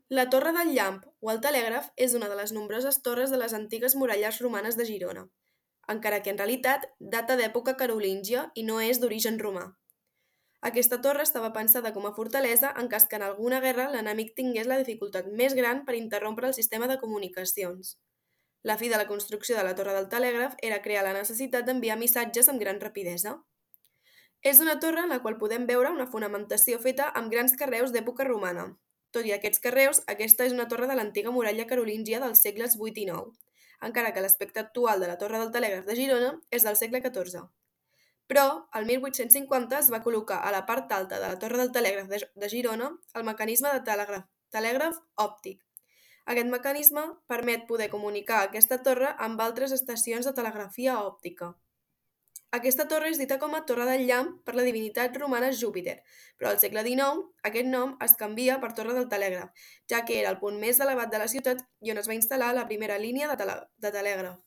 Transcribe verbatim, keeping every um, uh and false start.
La Torre del Llamp o el telègraf és una de les nombroses torres de les antigues muralles romanes de Girona, encara que en realitat data d'època carolíngia i no és d'origen romà. Aquesta torre estava pensada com a fortalesa en cas que en alguna guerra l'enemic tingués la dificultat més gran per interrompre el sistema de comunicacions. La fi de la construcció de la torre del telègraf era crear la necessitat d'enviar missatges amb gran rapidesa. És una torre en la qual podem veure una fonamentació feta amb grans carreus d'època romana. Tot i aquests carreus, aquesta és una torre de l'antiga muralla carolíngia dels segles vuit i nou, encara que l'aspecte actual de la torre del telègraf de Girona és del segle catorze. Però, el mil vuit-cents cinquanta es va col·locar a la part alta de la torre del telègraf de, de Girona el mecanisme de telègraf, telègraf òptic. Aquest mecanisme permet poder comunicar aquesta torre amb altres estacions de telegrafia òptica. Aquesta torre és dita com a Torre del Llamp per la divinitat romana Júpiter, però al segle dinou aquest nom es canvia per Torre del Telègraf, ja que era el punt més elevat de la ciutat i on es va instal·lar la primera línia de, tele de telègraf.